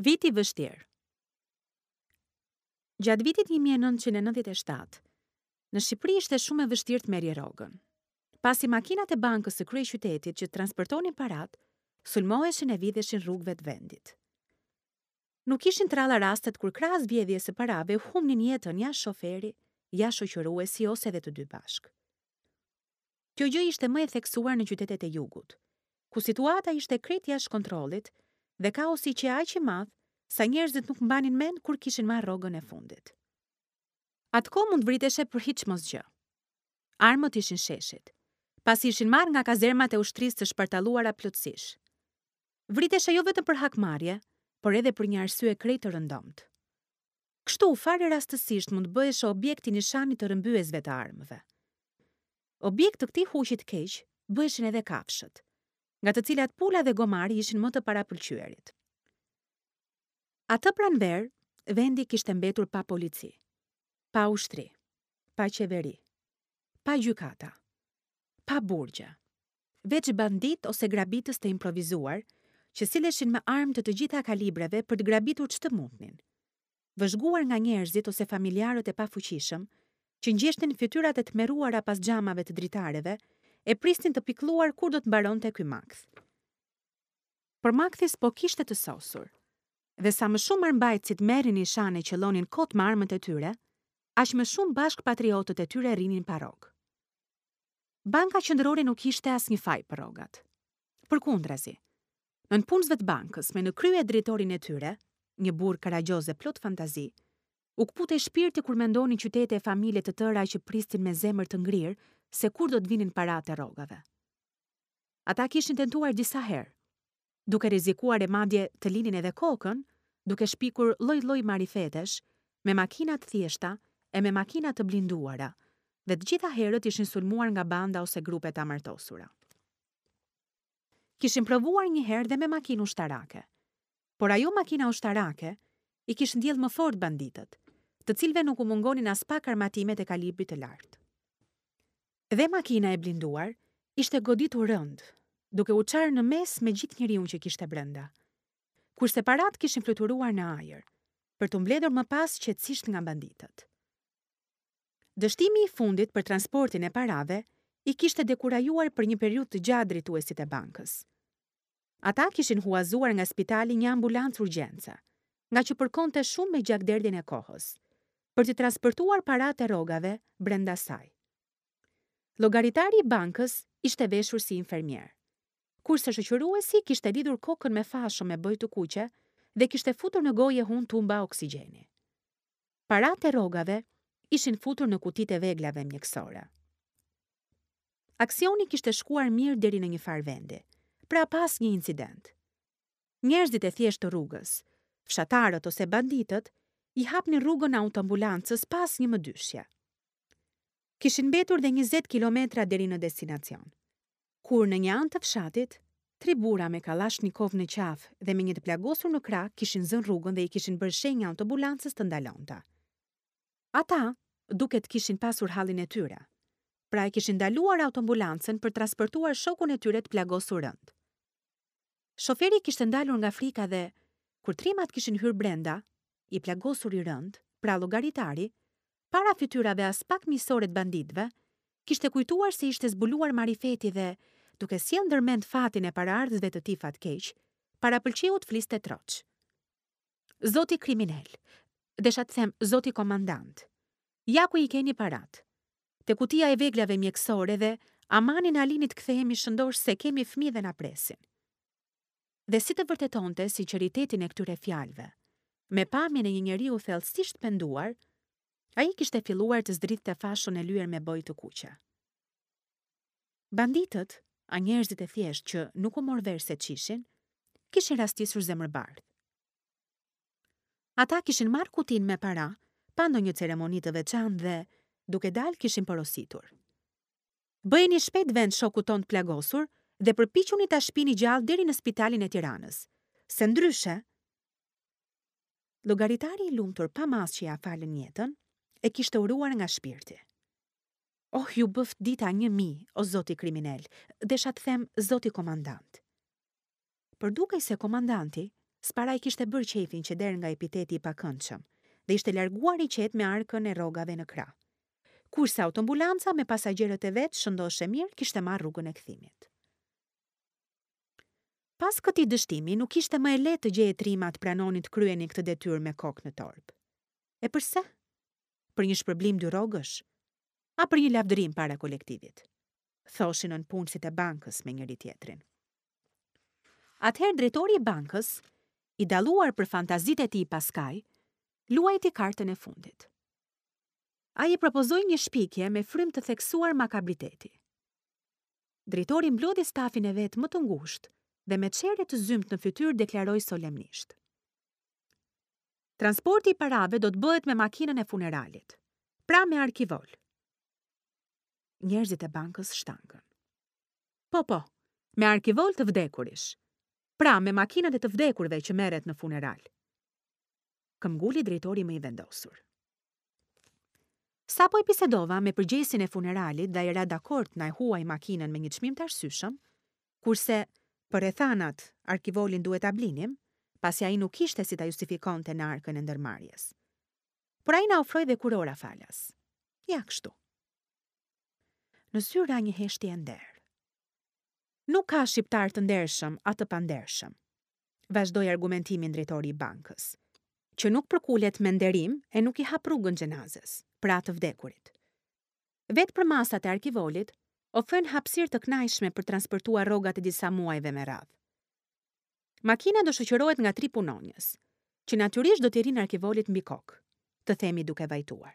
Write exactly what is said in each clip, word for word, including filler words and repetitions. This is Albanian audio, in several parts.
Viti i vështirë. Gjatë vitit një mijë e nëntëqind e nëntëdhjetë e shtatë, në Shqipëri ishte shumë e vështirë të merrje rrogën. Pasi makinat e bankës së kryeqytetit që transportonin parat, sulmoheshin e vidheshin rrugëve të vendit. Nuk ishin të rralla rastet kur krahas vjedhjes së parave humbnin jetën ja shoferi, ja shoqëruesi ose edhe të dy bashkë. Kjo gjë ishte më e theksuar në qytetet e jugut, ku situata ishte krejt jashtë kontrollit dhe kaosi qe aq i madh sa njerëzit nuk mbanin mend kur kishin marrë rrogën e fundit. Atë kohë mund vriteshe për hiç mos gjë. Armët ishin sheshit, pasi ishin marrë nga kazermat e ushtrisë të shpartalluara plotësisht. Vriteshe jo vetëm për hakmarrje, por edhe për një arsye krejt të rëndomtë. Kështu, fare rastësisht mund të bëhesh objekt i nishanit të rrëmbyesve të armëve. Objekt të këtij huqi të keq bëheshin edhe kafshët, nga të cilat pula dhe gomari ishin më të parapëlqyerit. Atë pranverë, vendi kishte mbetur pa polici, pa ushtri, pa qeveri, pa gjykata, pa burgje, veç bandit ose grabitës të improvizuar, që silleshin me armë të të gjitha kalibreve për të grabitur ç'të mundnin, vëzhguar nga njerëzit ose familjarët e pafuqishëm, që ngjeshnin fytyrat e tmerruara pas xhamave të dritareve e prisnin të pikëlluar kur do të mbaronte ky makth. Por makthi s'po kishte të sosur. Dhe sa më shumë armbajtësit merrin nishan e qellonin kot me armët e tyre, aq më shumë bashkëpatriotët e tyre rrinin pa rrogë. Banka qendrore nuk kishte asnjë faj për rrogat. Përkundrazi, nënpunësve të bankës me në krye drejtorin e tyre, një burr karagjioz e plot fantazi, u kputej shpirti kur mendonin qytete e familje të tëra që prisnin me zemër të ngrirë se kur do të vinin paratë e rrogave. Ata kishin tentuar disa herë, duke rrezikuar e madje të linin edhe kokën, duke shpikur lloj-lloj marifetesh, me makina të thjeshta e me makina të blinduara, dhe të gjitha herët ishin sulmuar nga banda ose grupe të amartosura. Kishin provuar një herë dhe me makinë ushtarake, por ajo makina ushtarake i kish ndjell më fort banditët, të cilëve nuk u mungonin as pak armatimet e kalibrit të lartë. Dhe makina e blinduar ishte goditur rënd, duke u çarë në mes me gjithë njeriu që kishte brenda. Kurse parat kishin fluturuar në ajër, për t'u mbledhur më pas qetësisht nga banditët. Dështimi i fundit për transportin e parave i kishte dekurajuar për një periudhë të gjatë drejtuesit e bankës. Ata kishin huazuar nga spitali një ambulancë urgjence, nga që përkonte shumë me gjakderdhjen e kohës, për t'i transportuar paratë e rrogave brenda saj. Llogaritari i bankës ishte veshur si infermier, kurse shoqëruesi kishte lidhur kokën me fasho me bojë të kuqe dhe kishte futur në gojë e hun tumba oksigjeni. Paratë e rrogave ishin futur në kutitë e veglave mjekësore. Aksioni kishte shkuar mirë deri në një farë vendi, pra pas një incident. Njerëzit e thjeshtë të rrugës, fshatarët ose banditët, i hapnin rrugën autoambulancës pas një mëdyshje. Kishin mbetur dhe njëzet kilometra deri në destinacion. Kur në një anë të fshatit, tri burra me kallashnikov në qafë dhe me një të plagosur në krah kishin zënë rrugën dhe i kishin bërë shenjë autoambulancës të ndalonte. Ata duket kishin pasur hallin e tyre, pra e kishin ndaluar autoambulancën për transportuar shokun e tyre të plagosur rënd. Shoferi kishte ndalur nga frika dhe, kur trimat kishin hyrë brenda, i plagosur i rënd, pra llogaritari, para fytyrave as pak miqësore të banditëve, kishte kujtuar se ishte zbuluar marifeti dhe, duke sjellë ndërmend fatin e paraardhësve të tij fatkeq, parapëlqeu të fliste troç. Zoti kriminal, desha të them zoti komandant, ja ku i keni parat. Te kutia e veglave mjekësore dhe amanin Alinit kthehemi shëndosh se kemi fëmijë dhe na presin. Dhe si të vërtetonte sinqeritetin e këtyre fjalëve, me pamjen e një njeriu thellësisht penduar, ai kishte filluar të zdrithte fashën e lyer me bojë të kuqe. Banditët, a njerëzit e thjeshtë që nuk u mor vesh se ç'ishin, kishin rastisur zemërbardh. Ata kishin marrë kutinë me para, pa ndonjë ceremoni të veçantë dhe, duke dalë, kishin porositur. Bëjeni shpejt vend shokut ton të plagosur dhe përpiquni ta shpini gjallë deri në spitalin e Tiranës, se ndryshe. Llogaritari i lumtur pa masë që ja falën jetën, e kishte uruar nga shpirti. Oh, ju bëft dita një mijë, o zoti kriminal, desha të them zoti komandant. Por dukej se komandanti S'para i kishte bërë qejfin qeder nga epiteti i pakëndshëm dhe ishte larguar i qetë me arkën e rrogave në krah. Kurse autoambulanca me pasagjerët e vet shëndoshë e mirë kishte marrë rrugën e kthimit. Pas këtij dështimi nuk ishte më e lehtë të gjeje trima të pranonin të kryenin këtë detyrë me kokë në torbë. E përse? Për një shpërblim dy rrogësh? A për një lavdërim para kolektivit? Thoshin nëpunësit e bankës me njëri tjetrin. Atëherë drejtori i bankës, i dalluar për fantazitë e tij paskaj, luajti kartën e fundit. Ai i propozoi një shpikje me frymë të theksuar makabriteti. Drejtori mblodhi stafin e vet më të ngushtë dhe me çehre të zymtë në fytyrë deklaroi solemnisht. Transporti i parave do të bëhet me makinën e funeralit, pra me arkivol. Njerëzit e bankës shtangën. Po, po, me arkivol të vdekurish, pra me makinën e të vdekurve që merret në funeral. Këmbguli drejtori më i vendosur. Sapo e bisedova me përgjegjësin e funeralit dhe ai ra dakord na e huaj makinën me një çmim të arsyeshëm, kurse për rrethanat arkivolin duhet ta blinim, pasi ai nuk kishte si ta justifikonte në arkën e ndërmarrjes. Por ai na ofroi dhe kurora falas. Ja kështu. Në zyrë ra një heshtje e nderë. Nuk ka shqiptar të ndershëm a të pandershëm, vazhdoi argumentimin drejtori i bankës, që nuk përkulet me nderim e nuk i hap rrugën xhenazes, pra të vdekurit. Vetë përmasat e arkivolit ofrojnë hapësirë të kënaqshme për transportuar rrogat e disa muajve me radhë. Makina do shoqërohet nga tri punonjës, që natyrisht do t'i rinë arkivolit mbi kokë, të themi duke vajtuar.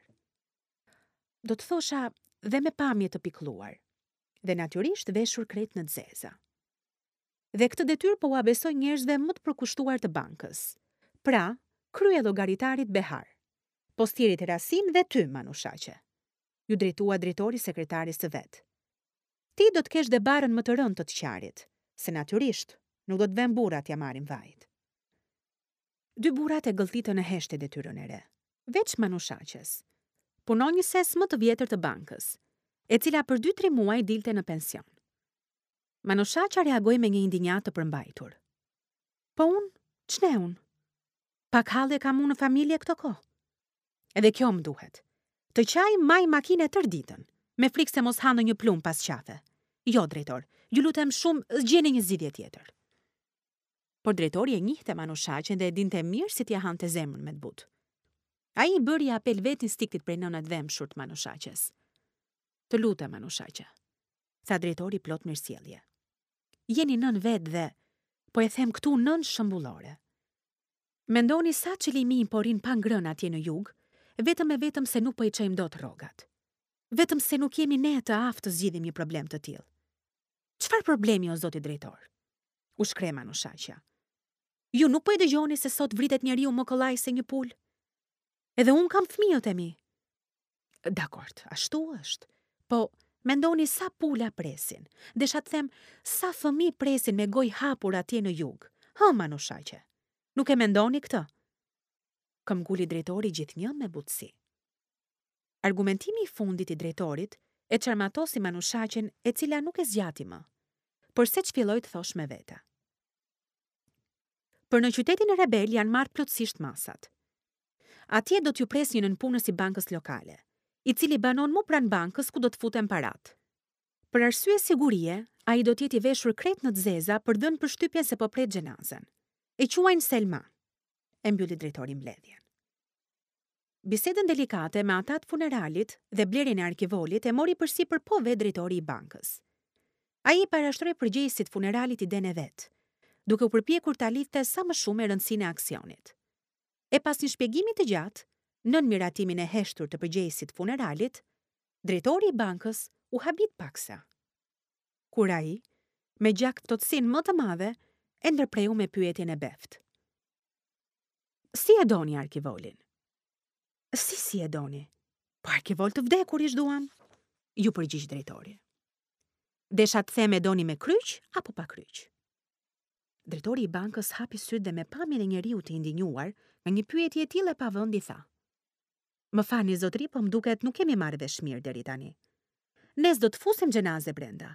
Do të thosha dhe me pamje të pikëlluar, dhe natyrisht veshur krejt në zeza. Dhe këtë detyrë po ua besoj njerëzve më të përkushtuar të bankës, pra krye llogaritarit Behar, postierit Rasim dhe ty, Manushaqe. Ju drejtua drejtori sekretaris të vet. Ti do të kesh dhe barrën më të rëndë të të qarit, se natyrisht nuk do të vën burrat t'ia marrin vajit. Dy burrat e gëlltitën në heshtje detyrën e re, veç Manushaqes, punonjëses më të vjetër të bankës, e cila për dy tri muaj dilte në pension. Manushaqja reagoi me një indinjatë të përmbajtur. Po unë, ç'ne unë? Pak halle kam unë në familje këto kohë. Edhe kjo më duhet. Të qaj maj makine tërë ditën, me frikë se mos ha ndonjë plum pas qafe. Jo, drejtor, ju lutem shumë, gjeni një zgjidhje tjetër. Por drejtori e njihte Manushaqen dhe e dinte mirë si t'ia hante zemrën me të butë. Ai i bëri apel vetë instinktit prej nënat dhembshur të Manushaqes. Të lutem, Manushaqe, tha drejtori plot mirësjellje. Jeni nën vetë dhe, po e them këtu nën shembullore. Mendoni sa çelimin po rin pa ngrënë atje në jug, vetëm e vetëm se nuk po i çojmë dot rrogat. Vetëm se nuk jemi ne të aftë të zgjidhim një problem të tillë. Çfarë problemi o zoti drejtor? U shkreh Manushaqja. Ju nuk po e dëgjoni se sot vritet njeriu më kollaj se një pulë? Edhe unë kam fëmijët e mi. Dakord, ashtu është. Po, mendoni sa pula presin. Desha të them, sa fëmijë presin me gojë hapur atje në jug. Hë, Manushaqe, nuk e mendoni këtë? Këmbguli drejtori gjithnjë me butësi. Argumentimi i fundit i drejtorit e çarmatosi Manushaqen, e cila nuk e zgjati më, por seç filloi të thosh me vete. Për në qytetin e rebel janë marrë plotësisht masat. Atje do t'ju pres një nënpunës i bankës lokale, i cili banon mu pranë bankës ku do të futen parat. Për arsye sigurie, ai do t'jetë i veshur krejt në të zeza për dhënë përshtypjen se po pret xhenazen. E quajnë Selma, e mbylli drejtori mbledhjen. Bisedën delikate me ata të funeralit dhe blerjen e arkivolit e mori përsipër po vetë drejtori i bankës. Ai i parashtroi përgjegjësit funeralit idenë e vet, duke u përpjekur ta lidhte sa më shumë me rëndësinë e aksionit. E pas një shpjegimi të gjatë, nën miratimin e heshtur të përgjegjësit funeralit, drejtori i bankës u habit paksa. Kur ai, me gjakftohtësinë më të madhe, e ndërpreu me pyetjen e beftë. Si e doni arkivolin? Si si e doni? Po arkivol të vdekur ish duam, ju përgjigj drejtori. Desha të them e doni me kryq apo pa kryq? Drejtori i bankës hapi sytë dhe me pamjen e njeriu të indinjuar, nga një pyetje e tillë e pa vend i tha. Më falni zotëri, po më duket nuk kemi marrë vesh mirë deri tani. Ne s'do të fusim xhenaze brenda,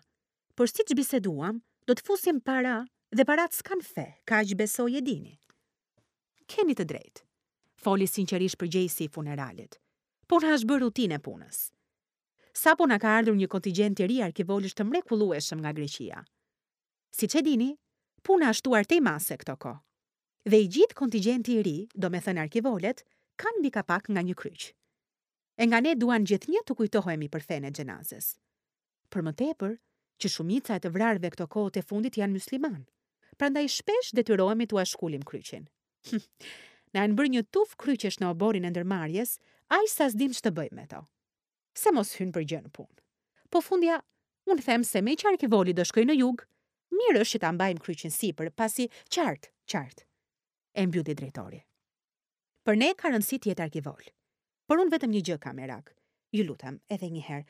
por siç biseduam, do të fusim para dhe parat s'kan fe, kaq besoj e dini. Keni të drejtë, foli sinqerisht përgjegjësi i funeralit. Por na është bërë rutinë e punës. Sapo na ka ardhur një kontingjent i ri arkivolësh të mrekullueshëm nga Greqia. Siç e dini, puna është shtuar tej mase këto kohë. Dhe i gjithë kontingjenti i ri, domethënë arkivolet, kanë mbi kapak nga një kryq. E nga ne duan gjithnjë të kujtohemi për fenë e xhenazes. Për më tepër, që shumica e të vrarëve këto kohët e fundit janë musliman, prandaj shpesh detyrohemi t'ua shkulim kryqin. Na janë bërë një tufë kryqesh në oborrin e ndërmarrjes, aq sa s'dim ç'të bëjmë me to. Se mos hyn për gjë në punë. Po fundja, unë them se meqë arkivoli do shkojë në jug, mirë është që ta mbajmë kryqin sipër, pasi qartë, qartë, e mbylli drejtori. Për ne ka rëndësi të jetë arkivol. Por unë vetëm një gjë kam merak. Ju lutem, edhe një herë,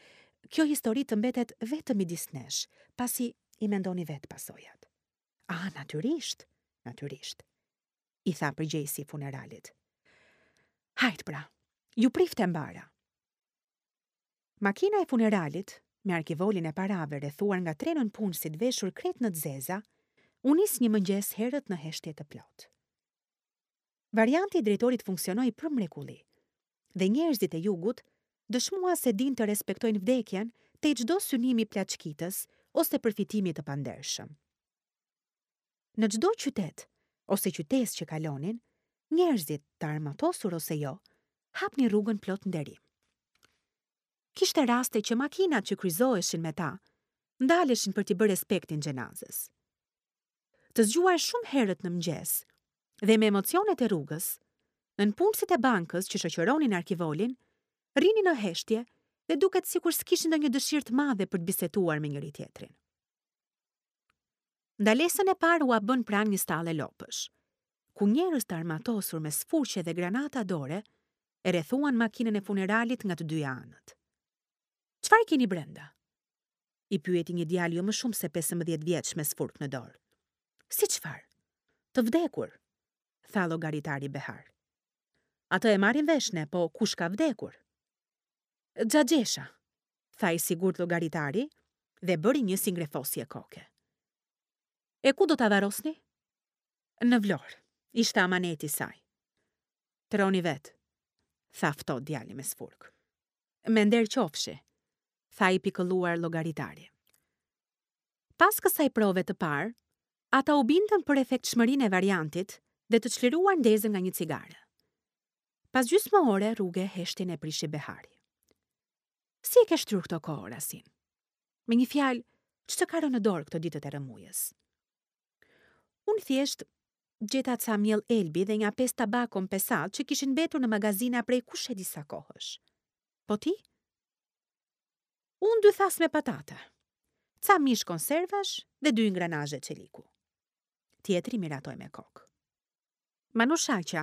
kjo histori të mbetet vetëm midis nesh, pasi i mendoni vetë pasojat. Ah, natyrisht, natyrisht, i tha përgjegjësi i funeralit. Hajt pra, ju priftë e mbara. Makina e funeralit, me arkivolin e parave rrethuar nga tre nënpunësit veshur krejt në të zeza, u nis një mëngjes herët në heshtje të plotë. Varianti i drejtorit funksionoi për mrekulli, dhe njerëzit e jugut dëshmuan se dinë të respektojnë vdekjen te çdo synimi plaçkitës ose përfitimi të pandershëm. Në çdo qytet ose qytesë që kalonin, njerëzit, të armatosur ose jo, hapnin rrugën plot nderim. Kishte raste që makinat që kryqëzoheshin me ta, ndaleshin për t'i bërë respektin xhenazes. Të zgjuar shumë herët në mëngjes dhe me emocionet e rrugës, nënpunësit e bankës që shoqëronin arkivolin, rrinin në heshtje dhe duket sikur s'kishin ndonjë dëshirë të madhe për të biseduar me njëri tjetrin. Ndalesën e parë ua bën pranë një stalle lopësh, ku njerëz të armatosur me sfurqe dhe granata dore e rrethuan makinën e funeralit nga të dyja anët. Çfarë keni brenda? I pyeti një djalë jo më shumë se pesëmbëdhjetë vjeç me sfurk në dorë. Si çfarë? Të vdekur, tha llogaritari Behar. Atë e marrim vesh ne, po kush ka vdekur? Xhaxhesha, tha i sigurt llogaritari dhe bëri një si ngrefosje koke. E ku do ta varrosni? Në Vlorë, ishte amaneti i saj. Troni vet, tha ftohtë djali me sfurk. Me nder qofshi, tha i pikëlluar llogaritari. Pas kësaj prove të parë, ata u bindën për efektshmërinë e variantit dhe të çliruar ndezën nga një cigare. Pas gjysmë ore rruge heshtjen e prishi Behari. Si e ke shtyrë këto kohë, Rasim? Me një fjalë, ç'të ka rënë në dorë këto ditët e rrëmujës? Unë thjesht gjeta ca miell elbi dhe nja pesë tabako në pesat që kishin mbetur në magazina prej kush e disa kohësh. Po ti? Unë dy thasë me patate, ca mish konservash dhe dy ingranazhe çeliku. Tjetri miratoi me kokë. Manushaqja,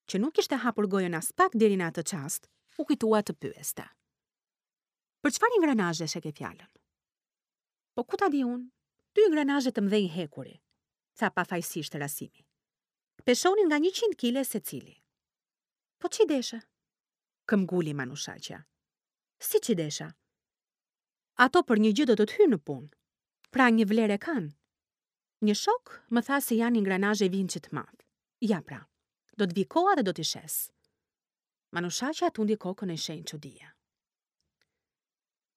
që nuk kishte hapur gojën as pak deri në atë çast, u kujtua të pyeste. Për çfarë ingranazhesh e ke fjalën? Po ku ta di unë? Dy ingranazhe të mëdhenj hekuri, tha pafajësisht Rasimi. Peshonin nga njëqind kile secili. Po ç'i deshe? Këmbguli Manushaqja. Si ç'i desha? Ato për një gjë do të të hyjnë në punë. Pra një vlerë e kanë. Një shok më tha se janë ingranazhe vinçi të madh. Ja pra, do të vi koha dhe do t'i shes. Manushaqja tundi kokën në shenjë çudie.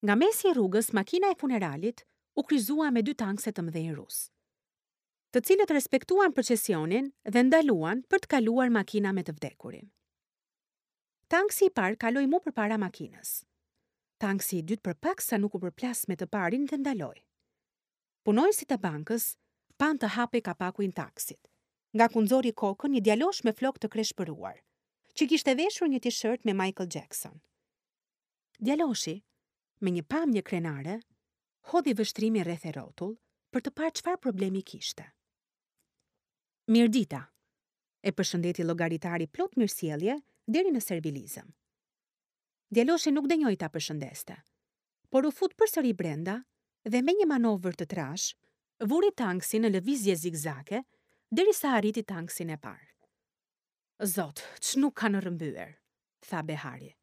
Nga mesi i rrugës, makina e funeralit u kryqëzua me dy tankse të mëdhenj rus, të cilët respektuan procesionin dhe ndaluan për të kaluar makina me të vdekurin. Tanksi i parë kaloi mu përpara makinës. Tanksi i dytë për pak sa nuk u përplas me të parin dhe ndaloi. Punonjësit e bankës panë të hapej kapaku i tanksit, nga ku nxori kokën një djalosh me flok të kreshpëruar, që kishte veshur një t-shirt me Michael Jackson. Djaloshi, me një pamje krenare, hodhi vështrimin rreth e rrotull për të parë çfarë problemi kishte. Mirëdita, e përshëndeti llogaritari plot mirësjellje deri në servilizëm. Djaloshi nuk denjoi ta përshëndeste, por u fut përsëri brenda dhe me një manovër të trash, vuri tanksin në lëvizje zigzake derisa arriti tanksin e parë. Zot, ç'nuk kanë rrëmbyer, tha Behari.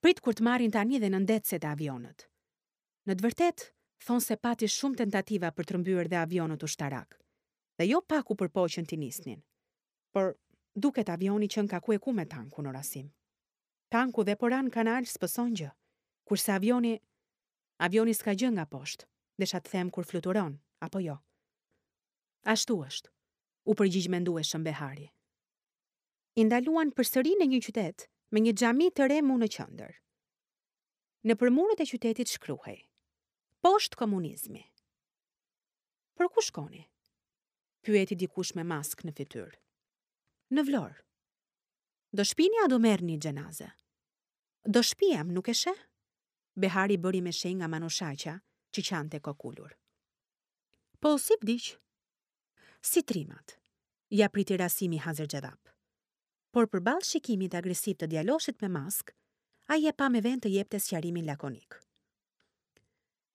Prit kur të marrin tani dhe nëndetëset e avionët. Në të vërtetë, thonë se pati shumë tentativa për të rrëmbyer dhe avionët ushtarak, dhe jo pak u përpoqën t'i nisnin. Por Duket avioni qenka ku e ku me tankun, o Rasim. Tanku dhe po ra në kanal s'pëson gjë, kurse avioni... Avioni s'ka gjë nga poshtë, desha të them kur fluturon, apo jo. Ashtu është, u përgjigj mendueshëm Behari. I ndaluan përsëri në një qytet me një xhami të re mu në qendër. Nëpër muret e qytetit shkruhej: Poshtë komunizmi. Për ku shkoni? Pyeti dikush me maskë në fytyrë. Në Vlorë. Do shpini a do merrni xhenaze? Do shpiam, nuk e sheh? Behari bëri me shenjë nga Manushaqja, që qante kokulur. Po si vdiq? Si trimat, ia priti Rasimi hazërxhevap. Por përballë shikimit agresiv të djaloshit me maskë, ai e pa me vend të jepte sqarimin lakonik.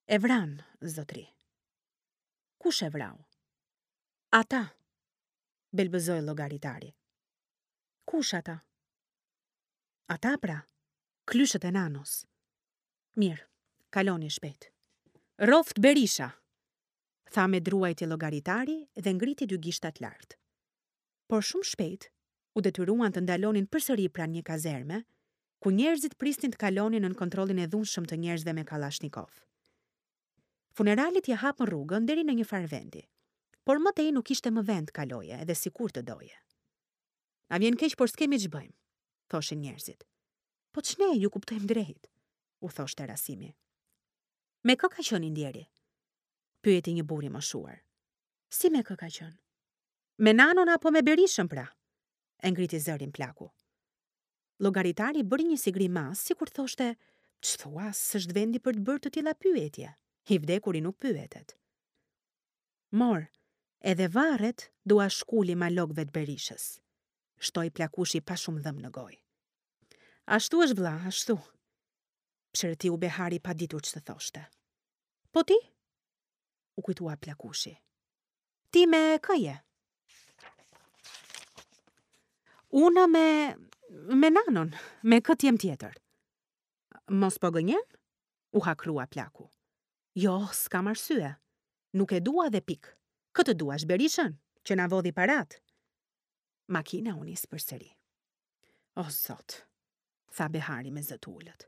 E vran, zotri. Kush e vrau? Ata, belbëzoi llogaritari. Kush ata? Ata pra, klyshët e Nanos. Mirë, kaloni shpejt. Rroft Berisha, tha me druajtje llogaritari dhe ngriti dy gishtat lart. Por shumë shpejt u detyruan të ndalonin përsëri pranë një kazerme, ku njerëzit prisnin të kalonin nën kontrollin e dhunshëm të njerëzve me kallashnikov. Funeralit ia hapën rrugën deri në një farë vendi, por më tej nuk ishte më vend kaloje edhe sikur të doje. Na vjen keq, por s'kemi ç'bëjmë, thoshin njerëzit. Po ç'ne, ju kuptojmë drejt, u thoshte Rasimi. Me kë ka qenë i ndjeri? Pyeti një burr i moshuar. Si me kë ka qenë? Me Nanon apo me Berishën pra? E ngriti zërin plaku. Llogaritari bëri një si grimas, sikur thoshte, ç'thua, s'është vendi për të bërë të tilla pyetje. I vdekuri nuk pyetet. Mor, edhe varret dua shkuli malokëve të Berishës, shtoi plakushi pa shumë dhëm në gojë. Ashtu është vlla, ashtu. Psherëtiu Behari pa ditur ç'të thoshte. Po ti? U kujtua plakushi. Ti me kë je? Unë me... me Nanon, me kë t'jem tjetër. Mos po gënjen? U hakrua plaku. Jo, s'kam arsye. Nuk e dua dhe pik. Kë të duash, Berishën, që na vodhi parat? Makina u nis përsëri. O Zot, tha Behari me zë të ulët.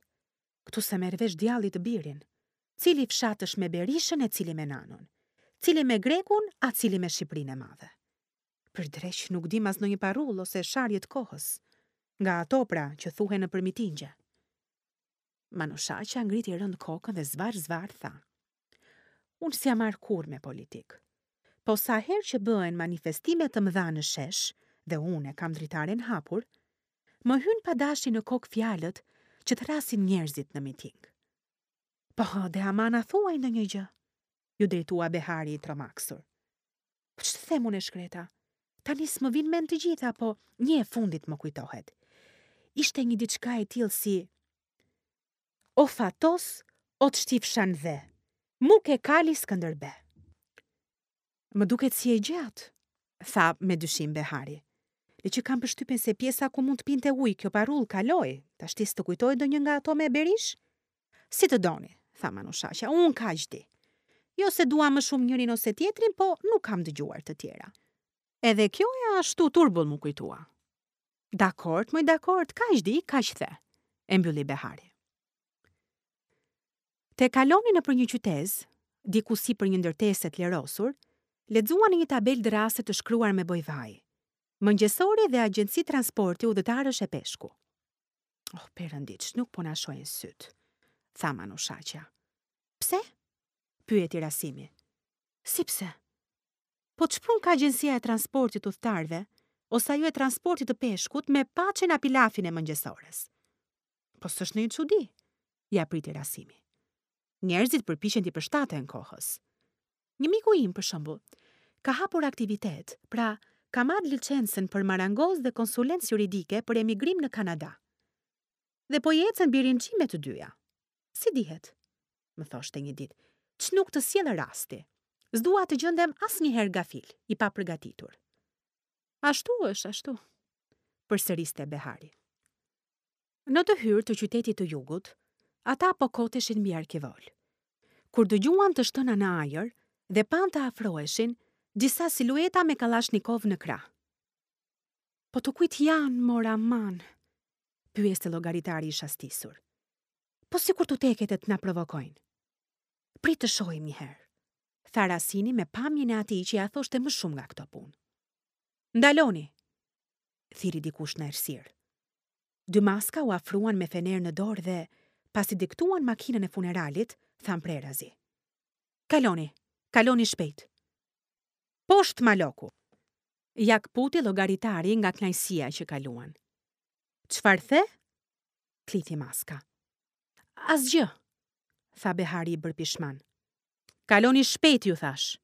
Këtu se merr vesh djalli të birin. Cili fshat është me Berishën e cili me Nanon? Cili me Grekun, a cili me Shqipërinë e Madhe? Për dreq nuk dim as ndonjë parull ose sharje të kohës, nga ato pra që thuhen nëpër mitingje. Manushaqja ngriti rënd kokën dhe zvar zvar tha: Unë s'jam marrë kurrë me politikë. Po sa herë që bëhen manifestime të mëdha në shesh dhe unë e kam dritaren hapur, më hyn pa dashje në kokë fjalët që thrasin njerëzit në miting. Po, dhe aman a thuaj ndonjë gjë, ju drejtua Behari i tromaksur. Po ç'të them unë e shkreta? Tani s'më vin mend të gjitha, po një e fundit më kujtohet. Ishte një diçka e tillë si: O Fatos, o të shtifsha në dhe, mu ke kali Skënderbe. Më duket si e gjatë, tha me dyshim Behari. Le që kam përshtypjen se pjesa ku mund të pinte ujë kjo parull kaloi, tashti s'të kujtoj ndonjë nga ato me Berish? Si të doni, tha Manushaqja, unë kaq di. Jo se dua më shumë njërin ose tjetrin, po nuk kam dëgjuar të tjera. Edhe kjo e ashtu turbull mu kujtua. Dakord, moj dakord, kaq di, kaq the, e mbylli Behari. Te kaloni nëpër një qytez, diku si për një ndërtesë të lerosur, lexuan në një tabelë drase të shkruar me bojvaj. Mëngjesore dhe agjenci transporti udhëtarësh e peshku. Oh, perëndiç, nuk po na shohin syt, tha Manushaqja. Pse? Pyeti Rasimi. Si pse? Po ç'pun ka agjencia e transportit udhëtarëve ose ajo e transportit të peshkut me paçen a pilafin e mëngjesores? Po s'është ndonjë çudi, ja priti Rasimi. Njerëzit përpiqen t'i përshtaten kohës. Një miku im, për shembull, ka hapur aktivitet, pra ka marrë licencën për marangoz dhe konsulencë juridike për emigrim në Kanada. Dhe po i ecën birinxhi me të dyja. Si dihet? Më thoshte një ditë, ç'nuk të sjell rasti. S'dua të gjendem asnjëherë gafil, i papërgatitur. Ashtu është, ashtu, përsëriste Behari. Në të hyrë të qytetit të jugut, ata po koteshin mbi arkivol. Kur dëgjuan të shtëna në ajër dhe panë të afroheshin disa silueta me kallashnikov në krah. Po të kujt janë, mor aman? Pyeste llogaritari i shastisur. Po sikur t'u teket e të na provokojnë. Prit të shohim një herë, tha Rasini me pamjen e atij që ia thoshte më shumë nga këto punë. Ndaloni, thirri dikush në errësirë. Dy maska u afruan me fener në dorë dhe, pasi diktuan makinën e funeralit, thanë prerazi. Kaloni, kaloni shpejt. Poshtë maloku. Ja këputi llogaritari nga kënaqësia që kaluan. Çfarë the? Klithi maska. Asgjë, tha Behari i bërë pishman. Kaloni shpejt, ju thash.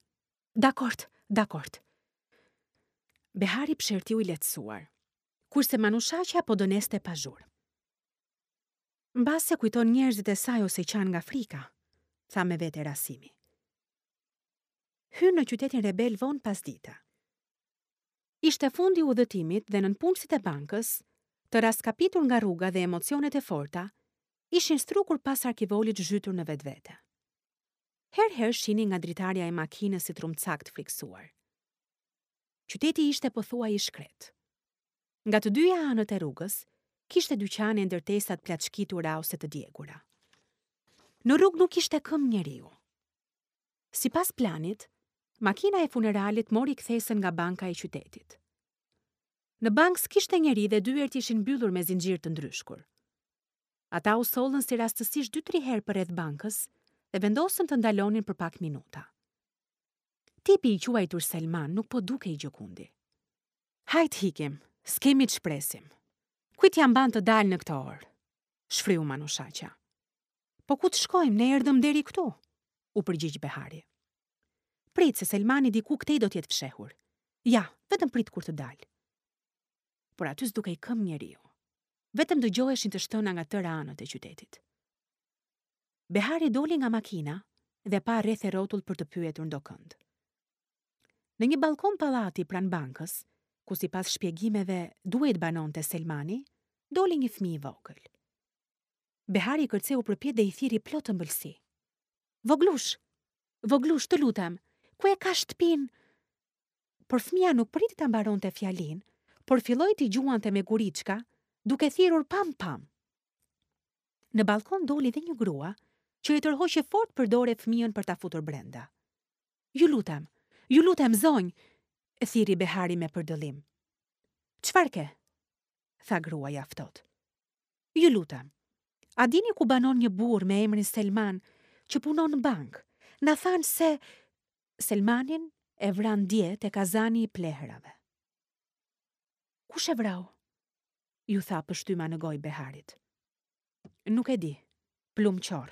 Dakord, dakord. Behari psherëtiu i lehtësuar, kurse Manushaqja po dëneste pa zhurmë. Mbase kujton njerëzit e saj ose qan nga frika, tha me vete Rasimi. Hyn në qytetin rebel vonë pas dita. Ishte fundi i udhëtimit dhe nënpunësit e bankës, të raskapitur nga rruga dhe emocionet e forta, ishin strukur pas arkivolit zhytur në vetvete. Her her shinin nga dritarja e makinës si trumcak të friksuar. Qyteti ishte pothuaj i shkret. Nga të dyja anët e rrugës, kishte dyqane e ndërtesa të plaçkitura ose të djegura. Në rrugë nuk ishte këmbë njeriu. Sipas planit, makina e funeralit mori kthesën nga banka e qytetit. Në bankë s'kishte njeri dhe dyert ishin mbyllur me zinxhir të ndryshkur. Ata u sollën si rastësisht dy-tri herë përreth bankës dhe vendosën të ndalonin për pak minuta. Tipi i quajtur Selman nuk po dukej gjëkundi. Hajt hikim, s'kemi ç'presim. Kujt ja mban të dalë në këtë orë? Shfryu Manushaqja. Po ku të shkojmë, ne erdhëm deri këtu, u përgjigj Behari. Prit se Selmani diku këtej do t'jetë fshehur. Ja, vetëm prit kur të dalë. Por aty s'dukej këmbë njeriu. Vetëm dëgjoheshin të shtëna nga tëra anët e qytetit. Behari doli nga makina dhe pa rreth e rrotull për të pyetur ndokënd. Në një balkon pallati pranë bankës, ku sipas shpjegimeve duhej të banonte Selmani, doli një fëmijë i vogël. Behari kërceu përpjetë dhe i thirri plot ëmbëlsi. Voglush, voglush, të lutem, ku e ka shtëpinë? Por fëmia nuk priti ta mbaronte fjalin, por filloi t'i gjuante me guriçka, duke thirrur pam pam. Në balkon doli dhe një grua që e tërhoqi fort për dore fëmijën për ta futur brenda. Ju lutem, ju lutem zonjë, e thirri Behari me përdëllim. Çfarë ke? Tha gruaja ftohtë. Ju lutem. A dini ku banon një burrë me emrin Selman që punon në bankë? Na thanë se Selmanin e vran dje te kazani i plehrave. Kush e vrau? Ju tha pështyma në gojë Beharit. Nuk e di, plum qorr.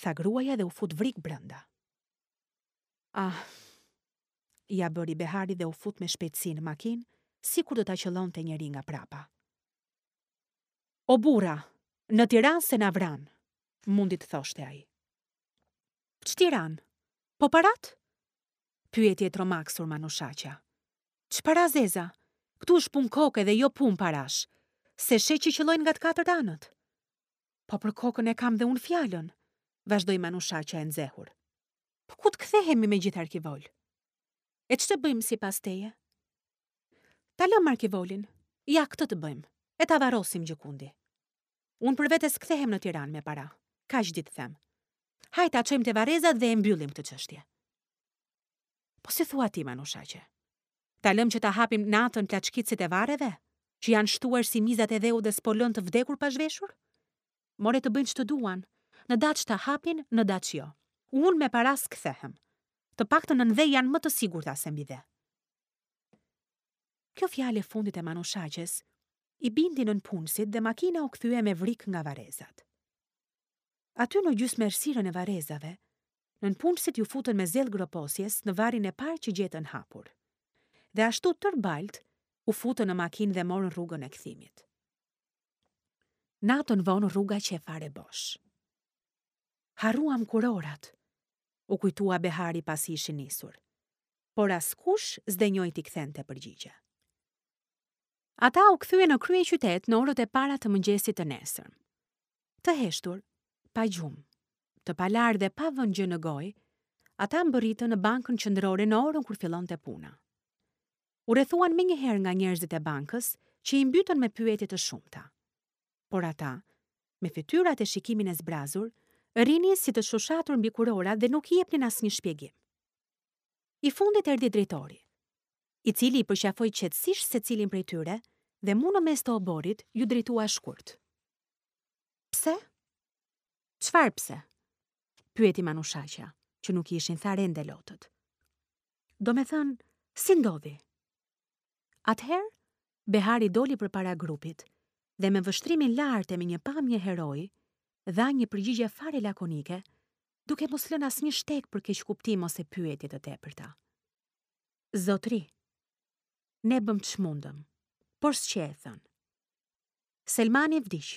Tha gruaja dhe u fut vrik brenda. Ah, ja bëri Behari dhe u fut me shpejtësi në makinë, sikur do ta qëllonte njeri nga prapa. O burra, në Tiranë se na vran, mundi të thoshte ai. Ç'Tiranë? Po parat? Pyeti e tromaksur Manushaqja. Ç'para zeza? Këtu është punë koke dhe jo punë parash. Se sheh që qëllojnë nga të katërt anët. Po për kokën e kam dhe unë fjalën, vazhdoi Manushaqja e nxehur. Po ku të kthehemi me gjithë arkivol? E ç'të bëjmë sipas teje? Ta lëm arkivolin. Ja, këtë të bëjmë. E ta varrosim gjëkundi. Unë për vete s'kthehem në Tiranë me para. Kaq ditë them. Hajt ta çojmë te varrezat dhe e mbyllim këtë çështje. Po si thua ti, Manushaqe? Ta lëm që ta hapim natën plaçkitësit e varreve, që janë shtuar si mizat e dheut dhe s'po lën të vdekur pa zhveshur? More të bëjnë ç'të duan, në daç ta hapin, në daç jo. Unë me para s'kthehem. Të paktën nën dhe janë më të sigurta se mbi dhe. Kjo fjalë e fundit e Manushaqes i bindi nënpunësit dhe makina u kthye me vrik nga varrezat. Aty në gjysmërësirën e varrezave, nënpunësit ju futën me zell groposjes në varrin e parë që gjetën hapur. Dhe ashtu tërë balt u futën në makinë dhe morën rrugën e kthimit. Natën vonë rruga qe fare bosh. Harruam kurorat, u kujtua Behari pasi ishin nisur, por askush s'denjoi t'i kthente përgjigje. Ata u kthyen në kryeqytet në orët e para të mëngjesit të nesërm. Të heshtur, pa gjumë, të palarë dhe pa vënë gjë në gojë, ata mbërritën në bankën qendrore në orën kur fillonte puna. U rrethuan menjëherë nga njerëzit e bankës që i mbytën me pyetje të shumta. Por ata, me fytyrat e shikimin e zbrazur, rrinin si të shushatur mbi kurora dhe nuk i jepnin asnjë shpjegim. I fundit erdhi drejtori, i cili i përqafoi qetësisht secilin prej tyre dhe mu në mes të oborrit ju drejtua shkurt. Pse? Çfarë pse? Pyeti Manushaqja, që nuk i ishin tharë ende lotët. Domethënë, si ndodhi? Atëherë, Behari doli përpara grupit dhe me vështrimin lart e me një pamje heroi, dha një përgjigje fare lakonike, duke mos lënë asnjë shteg për keqkuptim ose pyetje të tepërta. Zotri, ne bëm ç'mundëm, por s'qe e thënë. Selmani vdiq.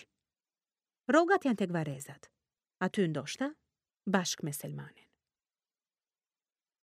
Rrogat janë tek varrezat. Aty ndoshta, bashkë me Selmanin.